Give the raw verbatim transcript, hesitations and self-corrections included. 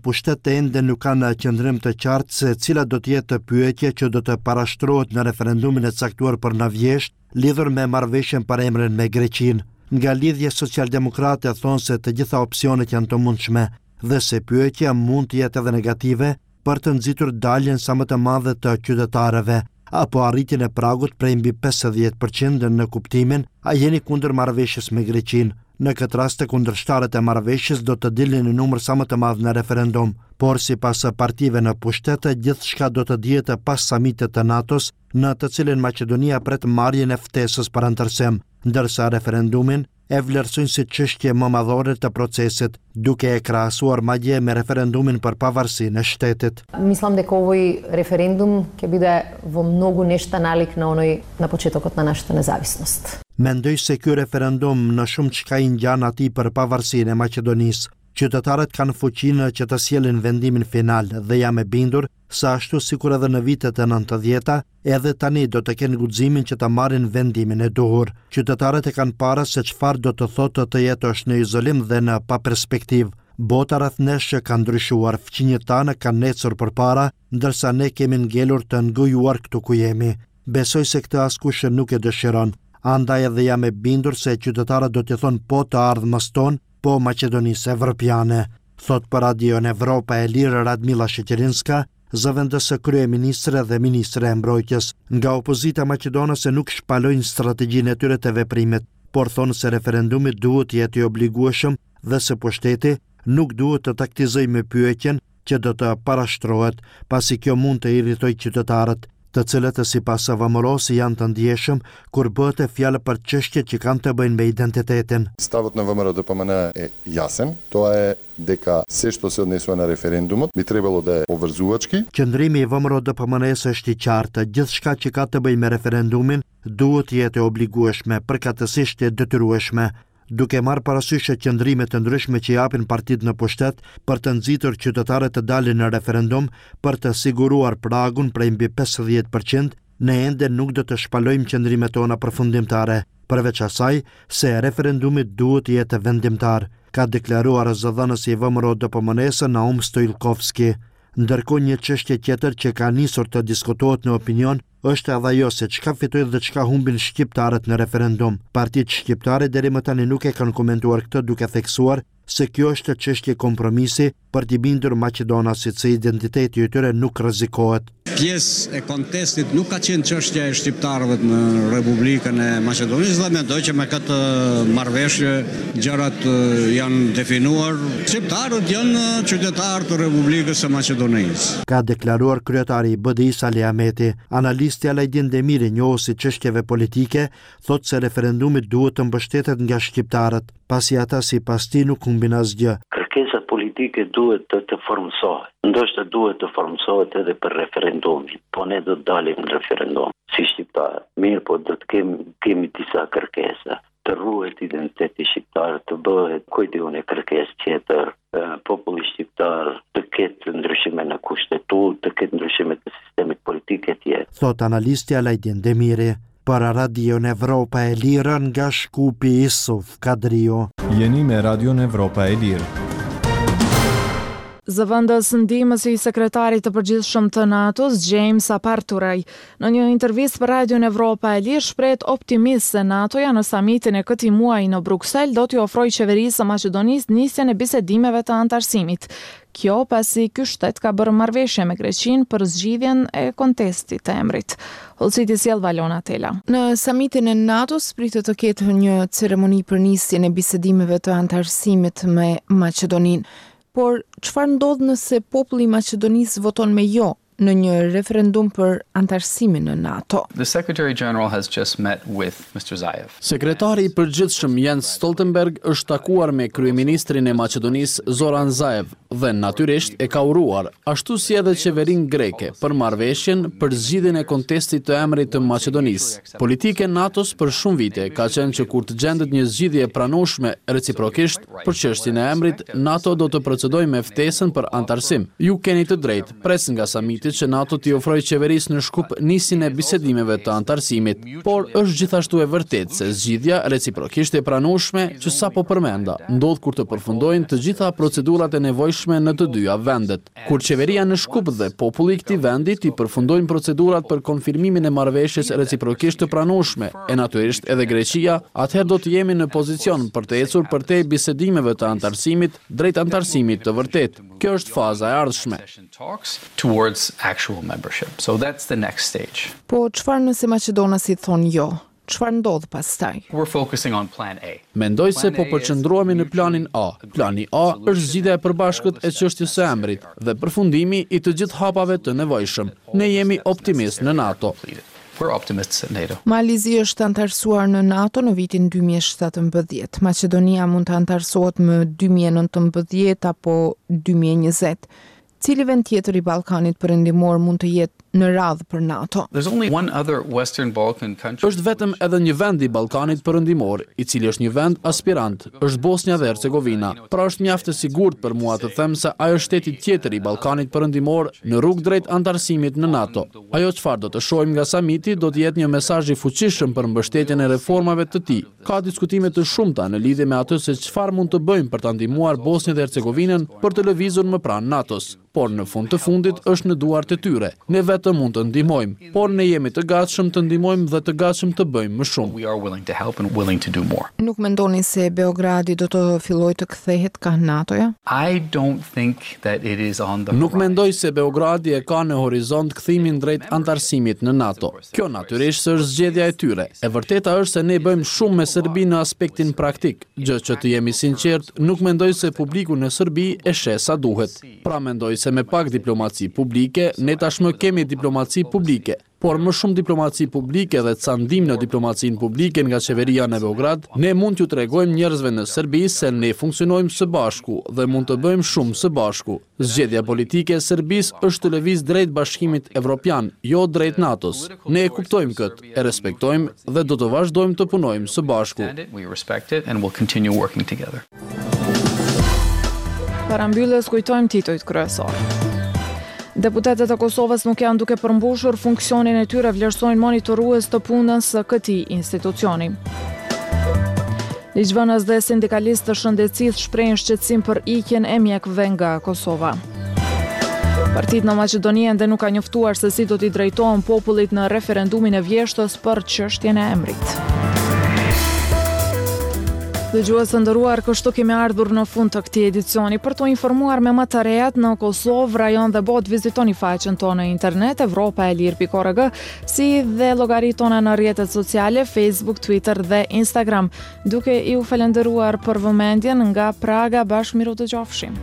pushtet ende nuk kanë qëndrim të qartë se cila do të jetë pyetja që do të parashtrohet në referendumin e caktuar për në vjeshtë lidhur me marrëveshjen për emrin me Greqinë. Nga Lidhja Socialdemokrate thonë se të gjitha opsionet janë të mundshme dhe se pyetja mund të jetë edhe negative për të nxitur daljen sa më të madhe të qytetarëve apo arritjen e pragut prej mbi pesëdhjetë përqind në kuptimin a jeni kundër marrëveshjes me Greqinë. Në këtë rast, kundërshtarët e marrëveshjes do të dilnin në numër sa më të madh në referendum, por sipas partive në pushtet, gjithçka do të dihet pas samitit të NATO-s, në të cilin Maqedonia pret marrjen e ftesës për anëtarësim, ndërsa referendumin e vlerësojnë si çështje më madhore të procesit, duke e krahasuar madje me referendumin për pavarësinë e shtetit. Мислам дека овој референдум ќе биде во многу нешта налик на оној на почетокот на нашата независност. Mendoj se ky referendum në shumë çka i ngjan atij për pavarësinë e Maqedonisë. Qytetarët kanë fuqinë që të sjellin vendimin final dhe jam e bindur se ashtu sikur edhe në vitet e nëntëdhjeta, edhe tani do të kenë guximin që të marrin vendimin e duhur. Qytetarët e kanë para se çfarë do të thotë të jetosh në izolim dhe në pa perspektivë. Bota rreth nesh ka ndryshuar, fqinjët tanë kanë ecur përpara, ndërsa ne kemi ngelur të ngujuar këtu ku jemi. Besoj se këtë askush nuk e dëshiron. Andaj edhe jam e bindur se qytetarët do t'i thonë po të ardhmës tonë, po Maqedonisë Evropiane, thot për Radion Evropa e Lirë Radmila Sheqerinska, zëvendës kryeministre dhe ministre e mbrojtjes. Nga opozita maqedonase nuk shpalojnë strategjinë e tyre të veprimit, por thonë se referendumi duhet të jetë i obligueshëm dhe se pushteti nuk duhet të taktizojë me pyetjen që do të parashtrohet, pasi kjo mund të irritojë qytetarët, të cilët sipas V M R O-s janë të ndjeshëm kur bëhet e fjalë për çështje që kanë të bëjnë me identitetin. Ставот на В М Р О Д П М Н е јасен, тоа е дека се што се однесува на референдумот би требало да е обврзувачки. Qëndrimi i V M R O D P M N-së është i qartë, gjithçka që ka të bëjë me referendumin duhet të jetë e obligueshme, përkatësisht e detyrueshme. Duke marrë parasysh qëndrimet të ndryshme që japin partitë në pushtet për të nxitur qytetarët të dalin në referendum për të siguruar pragun prej mbi pesëdhjetë përqind, ne ende nuk do të shpalojmë qëndrimet tona përfundimtare, përveç asaj se referendumi duhet të jetë vendimtar, ka deklaruar zëdhënësi i V M R O D P M N-së Naum Stojilkovski. Ndërkohë, një çështje tjetër që ka nisur të diskutohet në opinion është edhe ajo se çka fitojnë dhe çka humbin shqiptarët në referendum. Partitë shqiptare deri më tani nuk e kanë komentuar këtë, duke theksuar se kjo është çështje kompromisi për t'i bindur maqedonasit se identiteti i tyre nuk rrezikohet. Pjesë e kontestit nuk ka qenë çështja e shqiptarëve në Republikën e Maqedonisë dhe mendoj që me këtë marrëveshje gjërat janë definuar. Shqiptarët janë qytetarë të Republikës së Maqedonisë. Ka deklaruar kryetari i B D I Sali Ahmeti. Analisti Alajdin Demiri, njohës i çështjeve politike, thotë se referendumi duhet të mbështetet nga shqiptarët, pasi ata sipas tij nuk humbin asgjë. Kërkesa politike duhet të të formësohet. Ndoshta duhet të formësohet edhe për referendumin, po ne do të dalim në referendum si shqiptarë. Mirë, po do të kemi, kemi disa kërkesa. Të ruhet identiteti shqiptar, të bëhet, ku di unë, kërkesë tjetër, populli shqiptar të ketë ndryshime në kushtetutë, të ketë ndryshime të sistemit politik e tjerë. Thot analisti Alajdin Demiri. Për Radion Evropa e Lirë nga Shkupi, Isuf Kadrio. Jeni me Radion Evropa e Lirë. Zëvendës ndihmësi i sekretarit të përgjithshëm të NATO-s, James Appathurai, në një intervistë për Radion Evropa e Lirë shprehet optimist se NATO-ja në samitin e këtij muaji në Bruksel do t'i ofrojë qeverisë së Maqedonisë nisjen e bisedimeve të anëtarësimit. Kjo pasi ky shtet ka bërë marrëveshje me Greqinë për zgjidhjen e kontestit të emrit. Hollësitë i sjell Valona Tela. Në samitin e NATO-s pritet të ketë një ceremoni për nisjen e bisedimeve të anëtarësimit me Maqedoninë. Por, çfarë ndodh nëse populli i Maqedonisë voton me jo në një referendum për anëtarësimin në NATO? The Secretary General has just met with Mister Zaev. Sekretari i përgjithshëm Jens Stoltenberg është takuar me kryeministrin e Maqedonisë Zoran Zaev dhe natyrisht e ka uruar, ashtu si edhe qeverinë greke, për marrëveshjen për zgjidhjen e kontestit të emrit të Maqedonisë. Politika e NATO-s për shumë vite ka qenë që kur të gjendet një zgjidhje e pranueshme reciprokisht për çështjen e emrit, NATO do të procedojë me ftesën për anëtarësim. Ju keni të drejtë, pres nga samiti së shpejti që NATO t'i ofrojë qeverisë në Shkup nisjen e bisedimeve të anëtarësimit. Por është gjithashtu e vërtetë se zgjidhja reciprokisht e pranueshme që sapo përmenda ndodh kur të përfundojnë të gjitha procedurat e nevojshme në të dyja vendet. Kur qeveria në Shkup dhe populli i këtij vendi t'i përfundojnë procedurat për konfirmimin e marrëveshjes reciprokisht të pranueshme, e natyrisht edhe Greqia, atëherë do të jemi në pozicion për të ecur përtej bisedimeve të anëtarësimit drejt anëtarësimit të vërtetë. Kjo është faza e ardhshme. Talks towards actual membership. So that's the next stage. Po çfarë nëse maqedonasit thonë jo? Çfarë ndodh pastaj? We're focusing on plan A. Mendoj se po përqendrohemi në planin A. Plani A është zgjidhja e përbashkët e çështjes së emrit dhe përfundimi i të gjithë hapave të nevojshëm. Ne jemi optimistë në NATO. We're optimists at NATO. Mali i Zi është anëtarësuar në NATO në vitin dy mijë e shtatëmbëdhjetë. Maqedonia mund të anëtarësohet më dy mijë e nëntëmbëdhjetë apo dy mijë e njëzet. Cili vend tjetër i Ballkanit Perëndimor mund të jetë në radhë për NATO? There's only one other Western Balkan country. Është vetëm edhe një vend i Ballkanit Perëndimor, i cili është një vend aspirant, është Bosnja dhe Hercegovina. Pra, është mjaft e sigurt për mua të them se ajo është shteti tjetër i Ballkanit Perëndimor në rrugë drejt anëtarësimit në NATO. Ajo çfarë do të shohim nga samiti do të jetë një mesazh i fuqishëm për mbështetjen e reformave të tij. Ka diskutime të shumta në lidhje me atë se çfarë mund të bëjmë për ta ndihmuar Bosnjën dhe Hercegovinën për të lëvizur më pranë NATO-s. Por në fund të fundit është në duart e tyre. Ne vetëm mund të ndihmojmë, por ne jemi të gatshëm të ndihmojmë dhe të gatshëm të bëjmë më shumë. We are willing to help and willing to do more. Nuk mendoni se Beogradi do të fillojë të kthehet kah NATO-ja? I don't think that it is on the Nuk mendoj se Beogradi e ka në horizont kthimin drejt anëtarësimit në NATO. Kjo natyrisht se është zgjedhja e tyre. E vërteta është se ne bëjmë shumë me Serbinë në aspektin praktik, gjë që, të jemi sinqert, nuk mendoj se publiku në Serbi e sheh sa duhet. Pra, mendoj se me pak diplomaci publike, ne tashmë kemi diplomaci publike, por më shumë diplomaci publike dhe ca ndihmë në diplomacinë publike nga qeveria në Beograd, ne mund t'ju tregojmë njerëzve në Serbi se ne funksionojmë së bashku dhe mund të bëjmë shumë së bashku. Zgjedhja politike e Serbisë është të lëviz drejt Bashkimit Evropian, jo drejt NATO-s. Ne e kuptojmë këtë, e respektojmë dhe do të vazhdojmë të punojmë së bashku. We respect it and we'll continue working together. Para mbylljes, kujtojmë titujt kryesor. Deputetët e Kosovës nuk janë duke përmbushur funksionin e tyre, vlerësojnë monitorues të punës së këtij institucioni. Ligjvënës dhe sindikalistë të shëndetësisë shprehin shqetësim për ikjen e mjekëve nga Kosova. Partitë në Maqedoni ende nuk ka njoftuar se si do t'i drejtohen popullit në referendumin e vjeshtës për çështjen e emrit. Dëgjues të nderuar, kështu kemi ardhur në fund të këtij edicioni. Për të informuar me më të rejat në Kosovë, rajon dhe botë, vizitoni faqen tonë në internet evropaelire pikë org, si dhe llogaritë tona në rrjetet sociale Facebook, Twitter dhe Instagram. Duke iu falenderuar për vëmendjen, nga Praga, bashkë mirudëgjofshim.